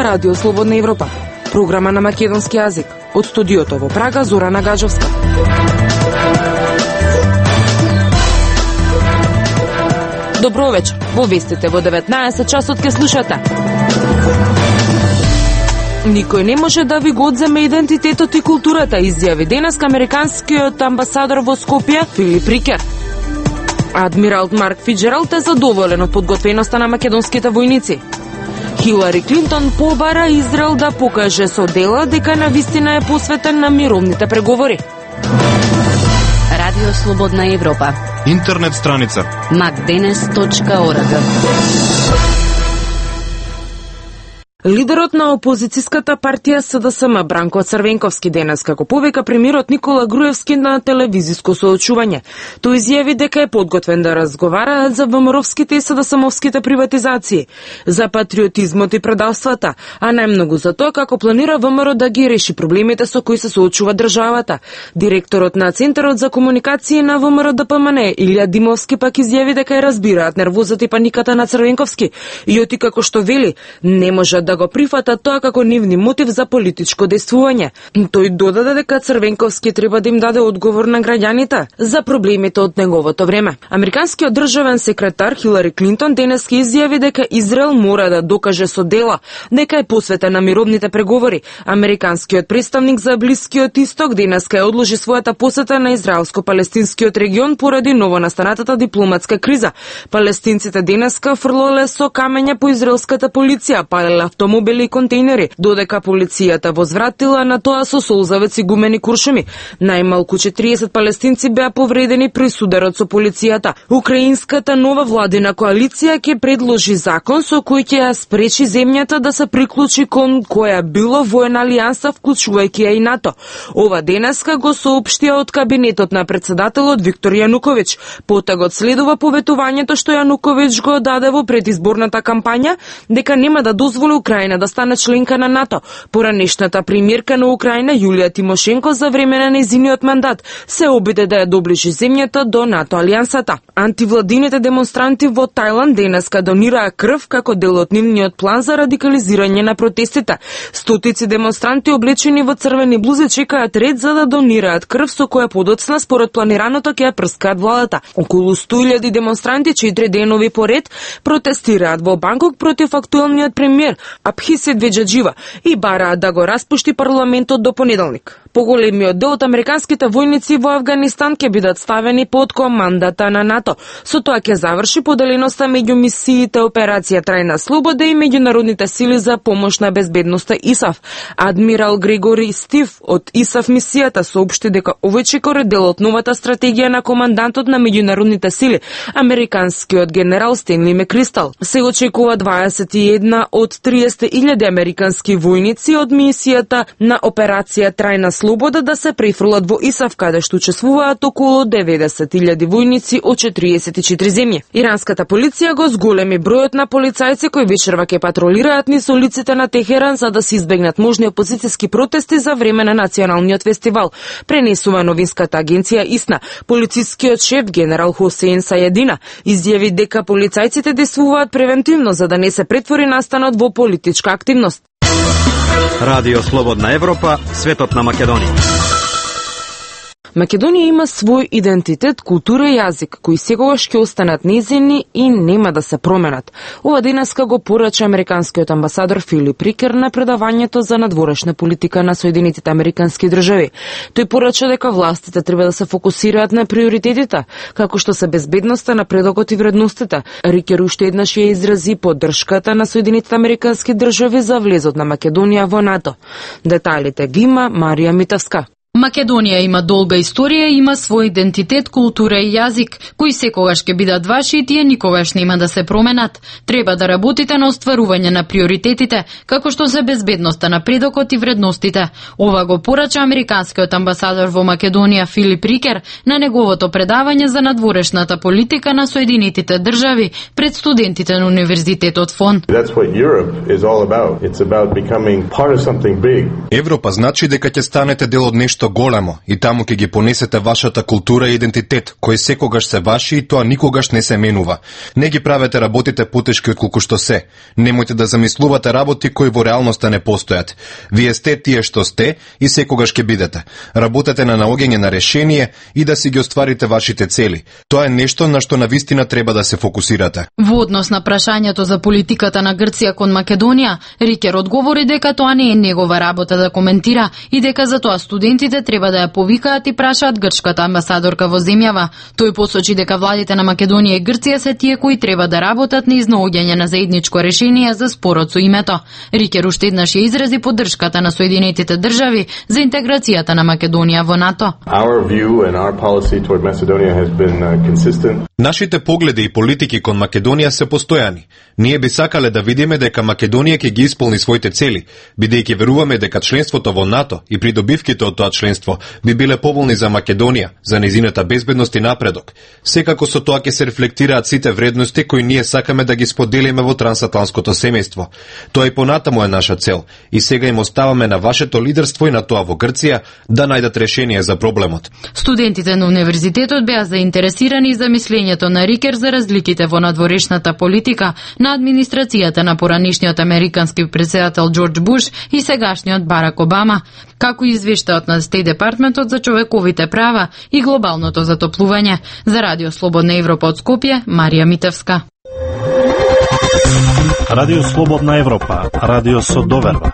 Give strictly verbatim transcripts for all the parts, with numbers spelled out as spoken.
Радио Слободна Европа, програма на македонски јазик. Од студиото во Прага, Зорана Гаджовска. Добро вечер. Во вестите во деветнаесет часот ке слушате. Никој не може да ви го одземе идентитетот и културата, изјави денес американскиот амбасадор во Скопје Филип Рикер. Адмирал Марк Фиджералд е задоволен од подготвеноста на македонските војници. Хилари Клинтон побара Израел да покаже со дела дека навистина е посветен на мировните преговори. Радио Слободна Европа. Интернет страница макденес точка орг. Лидерот на опозицијската партија СДСМ Бранко Црвенковски денес како повика премиерот Никола Груевски на телевизиско соочување. Тој изјави дека е подготвен да разговара за ВМРО-вските и СДСМовските приватизации, за патриотизмот и предавствата, а најмногу за тоа како планира ВМРО да ги реши проблемите со кои се соочува државата. Директорот на Центарот за комуникација на ВМРО Д П М Н Илија Димовски пак изјави дека ја разбираат нервозата и паниката на Црвенковски и оти како што вели не може да го прифата тоа како нивни мотив за политичко дејствување. Тој додаде дека Црвенковски треба да им даде одговор на граѓаните за проблемите од неговото време. Американскиот државен секретар Хилари Клинтон денес ке изјави дека Израел мора да докаже со дела дека е посветен на мировните преговори. Американскиот представник за Блискиот Исток денес ке одложи својата посета на израелско-палестинскиот регион поради новонастанатата дипломатска криза. Палестинците денеска фрлале со камења по израелската полиција, палеле автомобили и контейнери, додека полицијата возвратила на тоа со солзавец и гумени куршуми. Најмалку четириесет палестинци беа повредени при сударот со полицијата. Украинската нова владина коалиција ќе предложи закон со кој ќе ја спречи земјата да се приклучи кон која било воена алијанса, вклучувајќи ја и НАТО. Ова денеска го соопштија од кабинетот на председателот Виктор Јануковиќ. Потагот следува поветувањето што Јануковиќ го даде во предизборната кампања дека нема да дозволи Украина да стане членка на НАТО. Поранешната премиерка на Украина Јулија Тимошенко за време на нејзиниот мандат се обиде да ја доближи земјата до НАТО алијансата. Антивладините демонстранти во Тајланд денеска донираа крв како дел од нивниот план за радикализирање на протестите. Стотици демонстранти облечени во црвени блузи чекаат ред за да донираат крв со која подоцна според планираното ќе ја прскаат владата. Околу сто илјади демонстранти четири денови поред протестираат во Банкок против актуелниот премиер Абхисет Веджаджива и бараат да го распушти парламентот до понеделник. Поголемиот дел од американските војници во Авганистан ќе бидат ставени под командата на НАТО. Со тоа ќе заврши поделеноста меѓу мисиите Операција Трајна слобода и меѓународните сили за помош на безбедноста ИСАФ. Адмирал Грегори Стив од ИСАФ мисијата соопшти дека овој чекор е дел од новата стратегија на командантот на меѓународните сили, американскиот генерал Стенли Мекристал. Се очекува дваесет и една од триесет илјади американски војници од мисијата на Операција Трајна слобода да се префрлат во ИСАФ, каде што учествуваат околу деветдесет илјади војници од четириесет и четири земји. Иранската полиција го зголеми бројот на полицајци кои вечерва ќе патролираат низ улиците на Техеран за да се избегнат можни опозицијски протести за време на националниот фестивал, пренесува новинската агенција ИСНА. Полицискиот шеф генерал Хосеин Сајадина изјави дека полицајците действуваат превентивно за да не се претвори настанот во политичка активност. Радио Слободна Европа, светот на Македонија. Македонија има свој идентитет, култура и јазик, кои секогаш ќе останат нејзини и нема да се променат. Ова денеска го порача американскиот амбасадор Филип Рикер на предавањето за надворешна политика на Соединетите американски држави. Тој порача дека властите треба да се фокусираат на приоритетите, како што се безбедноста, напредокот и вредностите. Рикер уште еднаш ја изрази поддршката на Соединетите американски држави за влезот на Македонија во НАТО. Деталите ги има Марија Митавска. Македонија има долга историја, има свој идентитет, култура и јазик, кои секогаш ќе бидат ваши и тие никогаш нема да се променат. Треба да работите на остварување на приоритетите, како што се безбедноста, напредокот и вредностите. Ова го порача американскиот амбасадор во Македонија Филип Рикер на неговото предавање за надворешната политика на Соединетите држави пред студентите на Универзитетот Фон. Европа значи дека ќе станете дел од нешто нешто големо и таму ќе ги понесете вашата култура и идентитет, кои секогаш се ваши и тоа никогаш не се менува. Не ги правете работите потешки отколку што се. Немојте да замислувате работи кои во реалноста не постојат. Вие сте тие што сте и секогаш ќе бидете. Работете на наоѓање на решение и да си ги остварите вашите цели. Тоа е нешто на што навистина треба да се фокусирате. Во однос на прашањето за политиката на Грција кон Македонија, Рикер одговори дека тоа не е негова работа да коментира и дека за тоа студентите треба да ја повикаат и прашаат грчката амбасадорка во земјава. Тој посочи дека владите на Македонија и Грција се тие кои треба да работат на изнаоѓање на заедничко решение за спорот со името. Рикер уште еднаш ја изрази поддршката на Соединетите држави за интеграцијата на Македонија во НАТО. Нашите погледи и политики кон Македонија се постојани. Ние би сакале да видиме дека Македонија ќе ги исполни своите цели, бидејќи веруваме дека членството во НАТО и придобивките од тоа членство би биле поволни за Македонија, за нејзината безбедност и напредок. Секако со тоа ќе се рефлектираат сите вредности кои ние сакаме да ги споделиме во трансатлантското семејство. Тоа и понатаму е наша цел и сега им оставаме на вашето лидерство и на тоа во Грција да најдат решение за проблемот. Студентите на универзитетот беа заинтересирани за мислењето на Рикер за разликите во надворешната политика на администрацијата на поранишниот американски председател Џорџ Буш и сегашниот Барак Обама, како и извештајот на Стејт Департментот за човековите права и глобалното затоплување. За Радио Слободна Европа од Скопје, Марија Митевска. Радио Слободна Европа, радио со доверба.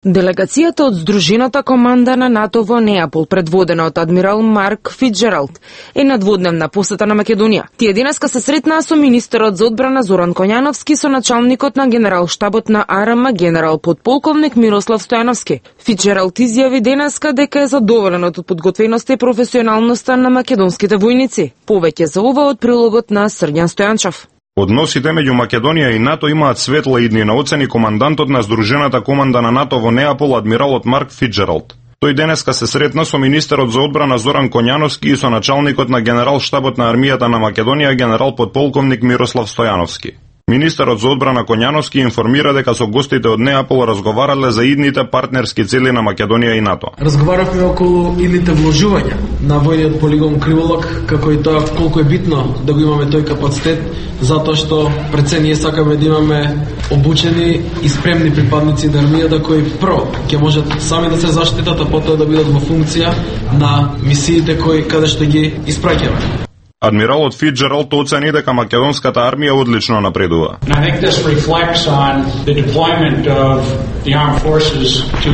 Делегацијата од Здружената команда на НАТО во Неапол, предводена од адмирал Марк Фицџералд, е на дводневна посета на Македонија. Тие денеска се сретнаа со министерот за одбрана Зоран Коњановски со началникот на генерал-штабот на АРМ генерал подполковник Мирослав Стојановски. Фицџералд изјави денеска дека е задоволен од подготвеноста и професионалноста на македонските војници. Повеќе за ова од прилогот на Срѓан Стојанчов. Односите меѓу Македонија и НАТО имаат светла иднина, оцени командантот на Здружената команда на НАТО во Неапол, адмиралот Марк Фицџералд. Тој денеска се сретна со министерот за одбрана Зоран Коњановски и со началникот на генерал-штабот на армијата на Македонија генерал подполковник Мирослав Стојановски. Министерот за одбрана Коњановски информира дека со гостите од Неапол разговарале за идните партнерски цели на Македонија и НАТО. Разговаравме околу идните вложувања на војниот полигон Криволак, како и тоа колку е битно да го имаме тој капацитет, затоа што пред се ние сакаме да имаме обучени и спремни припадници на армијата кои прво ќе можат сами да се заштитат, а потоа да бидат во функција на мисиите кои каде што ги испраќаме. Адмиралот Фицџералд оцени дека македонската армија одлично напредува. I think this reflects on the deployment of the armed forces to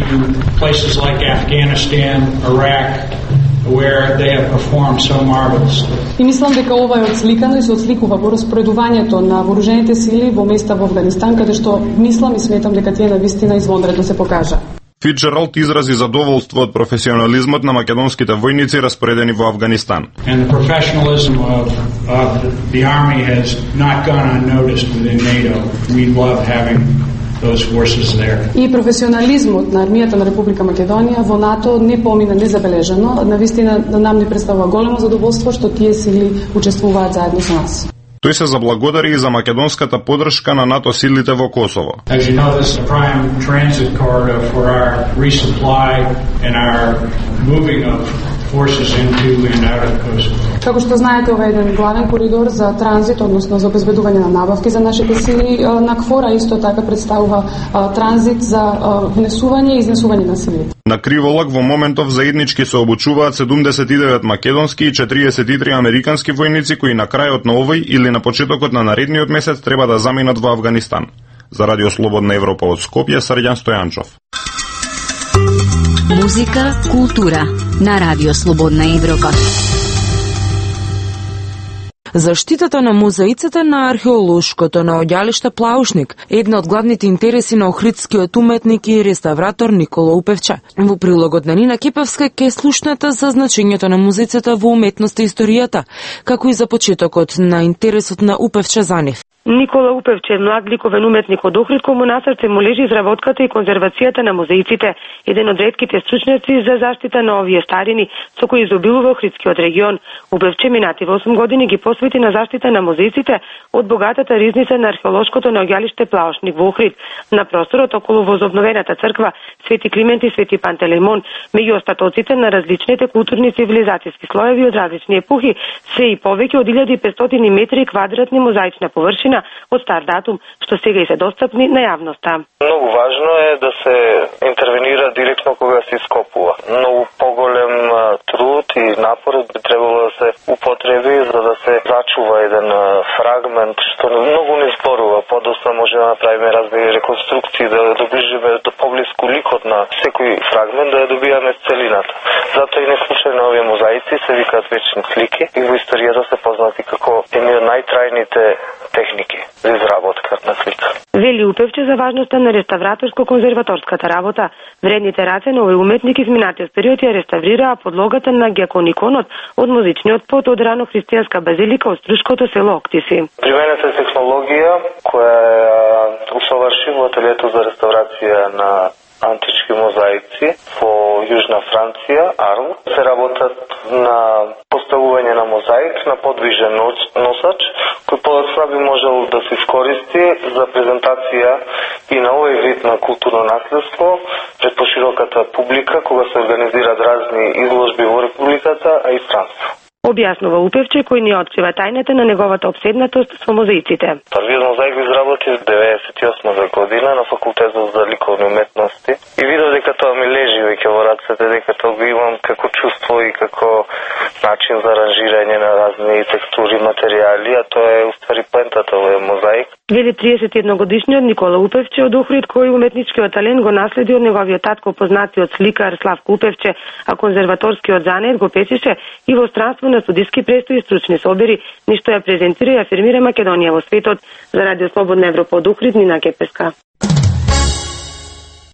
places like Afghanistan, Iraq, where they have performed so marvelously. И мислам дека ова е отсликано и се отсликува во распоредувањето на вооружените сили во места во Авганистан, каде што мислам и сметам дека тие навистина извонредно се покажа. Фицџералд изрази задоволство од професионализмот на македонските војници распоредени во Авганистан. And the professionalism of, of the army has not gone unnoticed within NATO. We love having those forces there. И професионализмот на армијата на Република Македонија во НАТО не помина незабележано. Навистина нам ни представува големо задоволство што тие сили учествуваат заедно со нас. Тој се заблагодари и за македонската поддршка на НАТО силите во Косово. As you know, this is a prime transit corridor for our resupply and our moving of forces into and out of Kosovo. Како што знаете, ова е еден главен коридор за транзит, односно за обезбедување на набавки за нашите сили на КФОР, а исто така представува транзит за внесување и изнесување на силите. На Криволак во моментов заеднички се обучуваат седумдесет и девет македонски и четириесет и три американски војници кои на крајот на овој или на почетокот на наредниот месец треба да заминат во Авганистан. За Радио Слободна Европа од Скопје, Срѓан Стојанчов. Музика, култура на Радио Слободна Европа. Заштитата на музеиците на археолошкото наоѓалиште Плаушник е една од главните интереси на охридскиот уметник и реставратор Никола Упевча. Во прилогот на Нина Кепевска ке слушнете за значењето на музеиците во уметноста и историјата, како и за почетокот на интересот на Упевча за нив. Никола Упевче, млад ликовен уметник од Охрид, кој му на срце му лежи изработката и конзервацијата на музеиците, еден од ретките стручњаци за заштита на овие старини, со кои изобилува Охридскиот регион. Упевче минати во осум години ги посвети на заштита на музеиците од богатата ризница на археолошкото наоѓалиште Плаошник во Охрид, на просторот околу возобновената црква Свети Климент и Свети Пантелеймон, меѓу остатоците на различните културни цивилизацијски слоеви од различни епохи, се и повеќе од илјада и петстотини метри квадратни мозаична површина од стар датум, што сега и се достапни на јавноста. Многу важно е да се интервенира директно кога се ископува. Многу поголем труд и напор би требало да се употреби за да се зачува еден фрагмент што многу не зборува. Подоцна може да направиме разни реконструкции, да доближиме до поблиску ликот на секој фрагмент, да ја добијаме целината. Затоа и неслучајно овие мозаици се викаат вечни слики и во историјата се познати како едни од најтрајните техники за изработка на слика. Вели Упевче за важноста на реставраторско-конзерваторската работа. Вредните раце на овој уметник изминатиот период ја реставрираа подлогата на гекониконот од музичниот пот од рано христијанска базилика од струшкото село Октиси. Применета е технологија која усоврши во ателието за реставрација на антички мозаици во Јужна Франција, Арл. Се работат на поставување на мозаик на подвижен носач, кој подоцна би можел да се искористи за презентација и на овој вид на културно наследство пред пошироката публика, кога се организираат разни изложби во републиката, а и странство. Објаснува Упевче, кој ни открива тајната на неговата обседнатост со мозаиците. Првиот мозаик го изработи во деветдесет и осма година на факултетот за ликовни уметности и видов дека тоа ми лежи веќе во рацете, дека тоа го имам како чувство и како начин за аранжирање на разни текстури, материјали, а тоа е уствари поентата во мозаик. Вели триесет и едногодишниот Никола Упевче од Охрид, кој уметничкиот талент го наследи од неговиот татко, познатиот сликар Славко Упевче, а конзерваторскиот занет го песише и во странство на студиски престои и стручни собери, ништо ја презентира и афирмира Македонија во светот. За Радио Слободна Европа од Охрид, Нина Кепеска.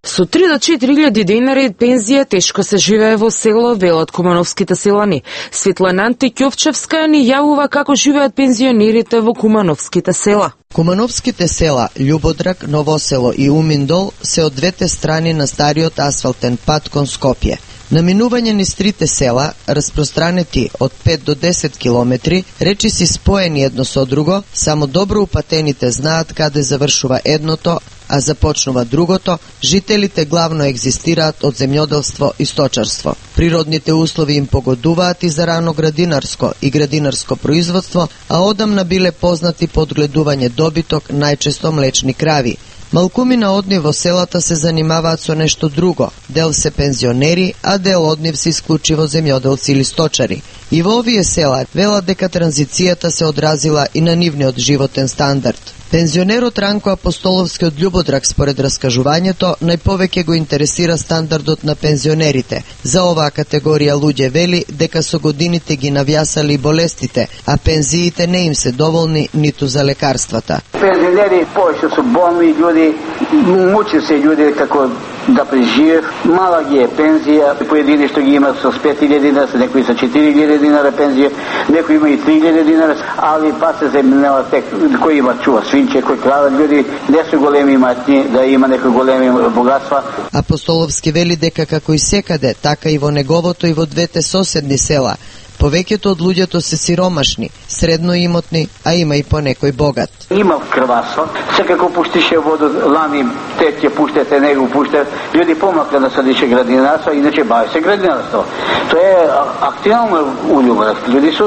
Со три до четири илјади денари пензија тешко се живее во село, велат кумановските селани. Светлана Антикјовчевска ни јавува како живеат пензионерите во кумановските села. Кумановските села Љубодрак, Новосело и Уминдол се од двете страни на стариот асфалтен пат кон Скопје. На минување низ трите села, распространети од пет до десет километри, речиси споени едно со друго, само добро упатените знаат каде завршува едното, а започнува другото, жителите главно екзистираат од земјоделство и сточарство. Природните услови им погодуваат и за рано градинарско и градинарско производство, а одамна биле познати по одгледување добиток, најчесто млечни крави. Малкумина од нив во селата се занимаваат со нешто друго. Дел се пензионери, а дел од нив се исклучиво земјоделци или сточари. И во овие села велат дека транзицијата се одразила и на нивниот животен стандард. Пензионерот Ранко Апостоловски од Љубодрак, според раскажувањето, најповеќе го интересира стандардот на пензионерите. За оваа категорија луѓе вели дека со годините ги навјасали болестите, а пензиите не им се доволни ниту за лекарствата. Пензионери повеќе се болни луѓе, мучи се луѓе како да преживеат. Мала ги е пензија, поедини што ги имат со пет илјади динара, некои со четири илјади динара пензија, некои има и три илјади динара, али па се земјава тек кои има чува свинче, кои крадат луѓе, не се големи иматни, да има некои големи богатства. Апостоловски вели дека како и секаде, така и во неговото и во двете соседни села, повеќето од луѓето се сиромашни, средно имотни, а има и по некој богат. Има крваство, секако пуштише воду, лани, те ќе пуштете, не го пуштат, луѓе помака да садише градинарство, иначе бави се градинарство. Тоа е активно улюбено. Луѓе се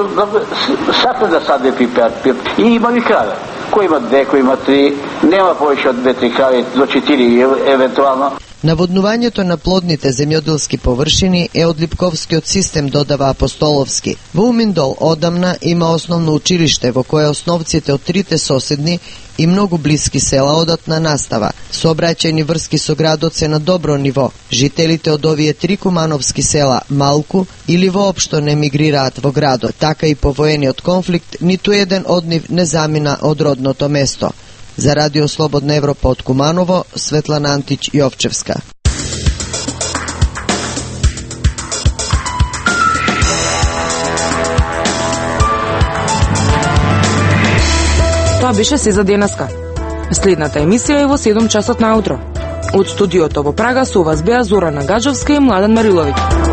сакат да саде пипер, пип. И има и крави. Кој има две, кој има три, нема повеќе од две-три крави, до четири евентуално. Наводнувањето на плодните земјоделски површини е од Липковскиот систем, додава Апостоловски. Во Уминдол одамна има основно училиште во кое основците од трите соседни и многу блиски села одат на настава. Сообраќајни врски со градот се на добро ниво. Жителите од овие три кумановски села малку или воопшто не мигрираат во градот. Така и по воениот конфликт ниту еден од нив не замина од родното место. За Радио Слободна Европа од Куманово, Светлана Антич Јовчевска. Тоа беше се за денеска. Следната емисија е во седум часот наутро. Од студиото во Прага со вас беа Зорана Гаджовска и Младен Мариловиќ.